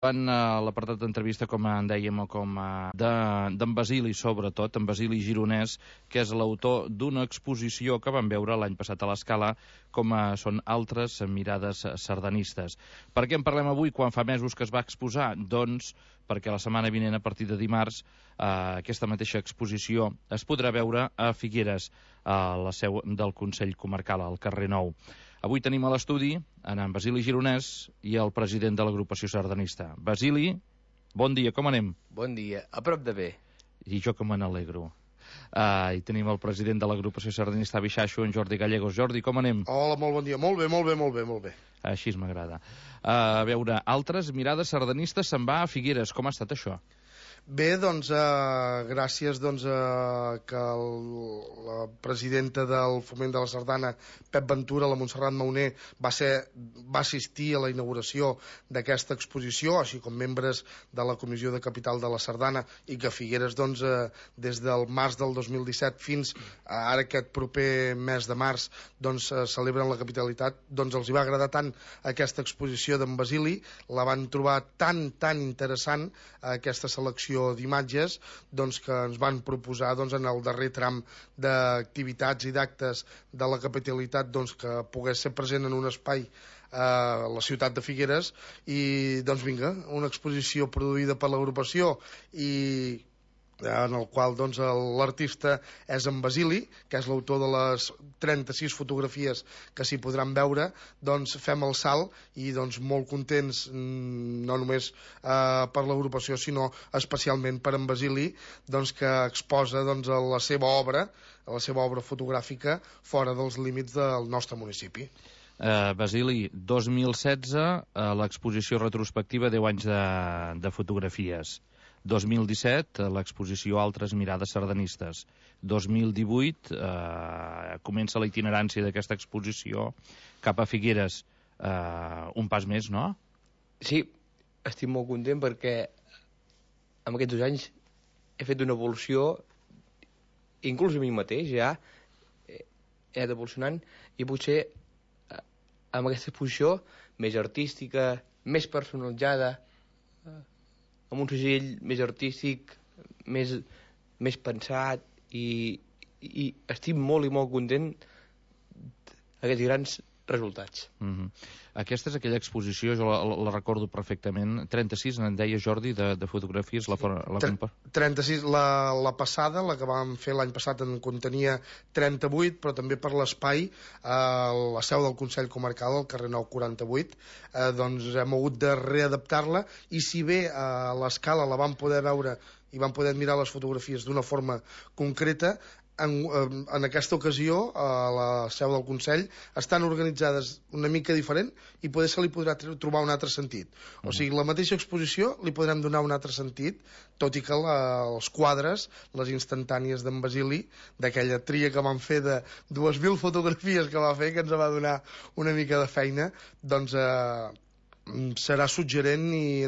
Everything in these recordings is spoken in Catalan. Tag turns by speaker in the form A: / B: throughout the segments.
A: En l'apartat d'entrevista, com en dèiem, o com d'en Basili, sobretot, en Basili Gironès, que és l'autor d'una exposició que vam veure l'any passat a l'Escala, com són altres mirades sardanistes. Per què en parlem avui, quan fa mesos que es va exposar? Doncs perquè la setmana vinent, a partir de dimarts, aquesta mateixa exposició es podrà veure a Figueres, a la seu del Consell Comarcal, al carrer Nou. Avui tenim a l'estudi en Basili Gironès i el president de l'agrupació sardanista. Basili, bon dia, com anem?
B: Bon dia, a prop de bé.
A: I jo que me n'alegro. I tenim el president de l'agrupació sardanista Bixaixo, en Jordi Gallegos. Jordi, com anem?
C: Hola, molt bon dia. Molt bé.
A: Així m'agrada. A veure, altres mirades sardanistes se'n va a Figueres. Com ha estat això?
C: Bé, doncs, gràcies que la presidenta del Foment de la Sardana, Pep Ventura, la Montserrat Mauner, va assistir a la inauguració d'aquesta exposició, així com membres de la Comissió de Capital de la Sardana, i que Figueres, doncs, des del març del 2017 fins a ara aquest proper mes de març, doncs, celebren la capitalitat. Doncs els hi va agradar tant aquesta exposició d'en Basili, la van trobar tan interessant, aquesta selecció d'imatges, doncs, que ens van proposar, doncs, en el darrer tram d'activitats i d'actes de la capitalitat, doncs, que pogués ser present en un espai a la ciutat de Figueres. I doncs vinga, una exposició produïda per l'agrupació i en el qual, doncs, l'artista és en Basili, que és l'autor de les 36 fotografies que s'hi podran veure. Doncs fem el salt i, doncs, molt contents, no només per l'agrupació, sinó especialment per en Basili, doncs, que exposa, doncs, la seva obra fotogràfica fora dels límits del nostre municipi.
A: Basili, 2016, l'exposició retrospectiva 10 anys de fotografies. 2017, l'exposició Altres mirades sardanistes. 2018, comença la itinerància d'aquesta exposició cap a Figueres. Un pas més, no?
B: Sí, estic molt content perquè en aquests 2 anys he fet una evolució, inclús a mi mateix ja he anat evolucionant, i potser amb aquesta exposició més artística, més personalitzada, amb un segell més artístic, més pensat, i estic molt i molt content d'aquests grans resultats.
A: Aquesta és aquella exposició, jo la recordo perfectament. 36, en deia Jordi, de fotografies.
C: 36, la passada, la que vam fer l'any passat, en contenia 38, però també per l'espai, la seu del Consell Comarcal, al carrer Nou 48, doncs hem hagut de readaptar-la, i si bé a l'Escala la vam poder veure i vam poder mirar les fotografies d'una forma concreta, en aquesta ocasió a la seu del Consell estan organitzades una mica diferent, i poder se li podrà trobar un altre sentit. O sigui, la mateixa exposició li podrem donar un altre sentit, tot i que els quadres, les instantànies d'en Basili, d'aquella tria que vam fer de 2.000 fotografies que va fer, que ens va donar una mica de feina, doncs serà suggerent, i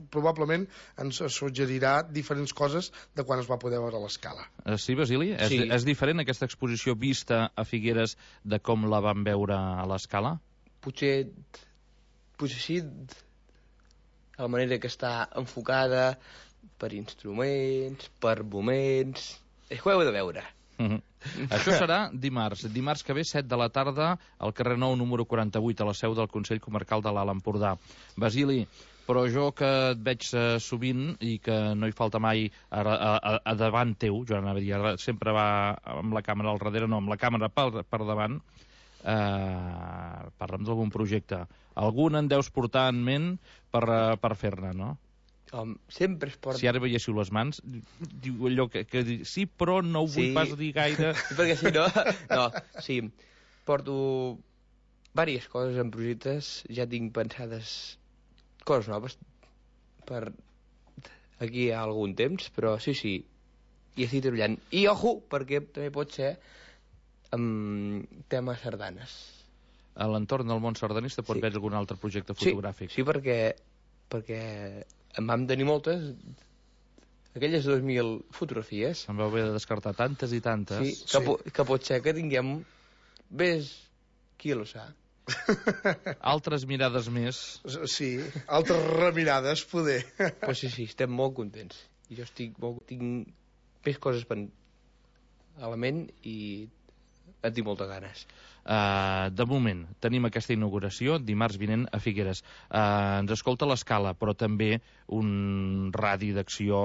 C: probablement ens suggerirà diferents coses de quan es va poder veure a l'Escala.
A: Sí, Basili?
B: Sí.
A: És diferent aquesta exposició vista a Figueres de com la vam veure a l'Escala?
B: Potser sí, la manera que està enfocada per instruments, per moments, és que ho heu de veure.
A: Això serà dimarts que ve, 7 de la tarda, al carrer Nou número 48, a la seu del Consell Comarcal de l'Alt Empordà. Basili, però jo que et veig sovint i que no hi falta mai a davant teu, jo anava a dir, sempre va amb la càmera al darrere, no, amb la càmera per davant, parla'm d'algun projecte. Algun en deus portar en ment per fer-ne, no?
B: Sempre es porta...
A: Si ara veiéssiu les mans, diu allò que sí, però no ho vull pas dir gaire.
B: Perquè si no... No, sí, porto diverses coses en projectes, ja tinc pensades coses noves per aquí a algun temps, però sí, i estic treballant. I ojo, perquè també pot ser amb temes sardanes.
A: A l'entorn del món sardanista pot haver algun altre projecte fotogràfic?
B: Sí, perquè en vam tenir moltes, aquelles 2.000 fotografies.
A: Em vau haver de descartar tantes i tantes.
B: Sí, que pot ser que tinguem... Ves qui lo sap.
A: Altres mirades més.
C: Sí, altres remirades, poder.
B: Però sí, estem molt contents. I jo tinc més coses a la ment i en tinc moltes ganes.
A: De moment, tenim aquesta inauguració dimarts vinent a Figueres. Ens escolta l'Escala, però també un radi d'acció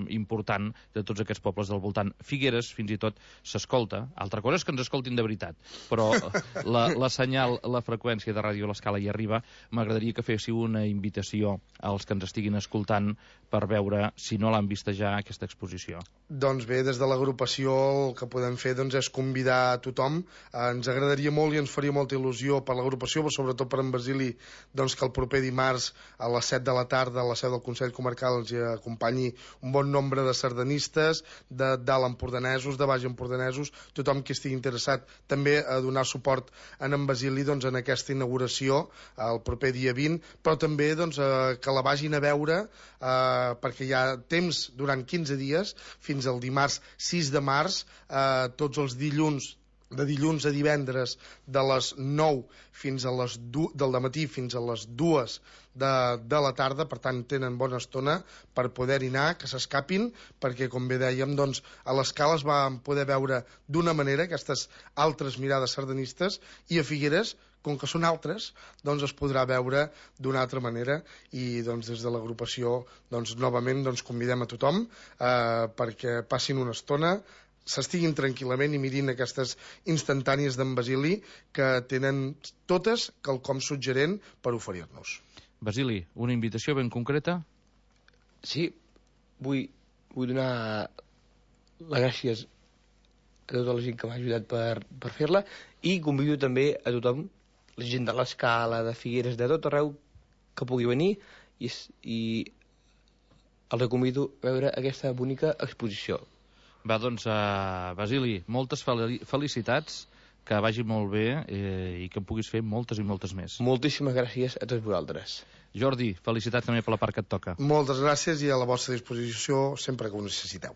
A: important de tots aquests pobles del voltant. Figueres, fins i tot, s'escolta. Altra cosa és que ens escoltin de veritat, però la senyal, la freqüència de ràdio a l'Escala hi arriba. M'agradaria que féssiu una invitació als que ens estiguin escoltant per veure, si no l'han vista ja, aquesta exposició.
C: Doncs bé, des de l'agrupació el que podem fer és convidar a tothom. Ens agradaria molt i ens faria molta il·lusió per l'agrupació, però sobretot per en Basili, que el proper dimarts a les 7 de la tarda a la seu del Consell Comarcal ens hi acompanyi un bon nombre de sardanistes, de dalt empordanesos, de baix empordanesos, tothom que estigui interessat també a donar suport a en Basili en aquesta inauguració el proper dia 20, però també que la vagin a veure perquè hi ha temps durant 15 dies fins al dimarts 6 de març, tots els dilluns, de dilluns a divendres, de les 9 fins a les 2 del matí fins a les 2 de la tarda, per tant tenen bona estona per poder-hi anar, que s'escapin, perquè com bé dèiem, a l'Escala es van poder veure d'una manera aquestes altres mirades sardanistes, i a Figueres, com que són altres, es podrà veure d'una altra manera, i des de l'agrupació novament convidem a tothom perquè passin una estona, s'estiguin tranquil·lament i mirin aquestes instantànies d'en Basili que tenen totes quelcom suggerent per oferir-nos.
A: Basili, una invitació ben concreta?
B: Sí, vull donar les gràcies a tota la gent que m'ha ajudat per fer-la, i convido també a tothom, la gent de l'Escala, de Figueres, de tot arreu, que pugui venir, i els convido a veure aquesta bonica exposició.
A: Va, Basili, moltes felicitats, que vagi molt bé i que en puguis fer moltes i moltes més.
B: Moltíssimes gràcies a tots vosaltres.
A: Jordi, felicitats també per la part que et toca.
C: Moltes gràcies i a la vostra disposició sempre que ho necessiteu.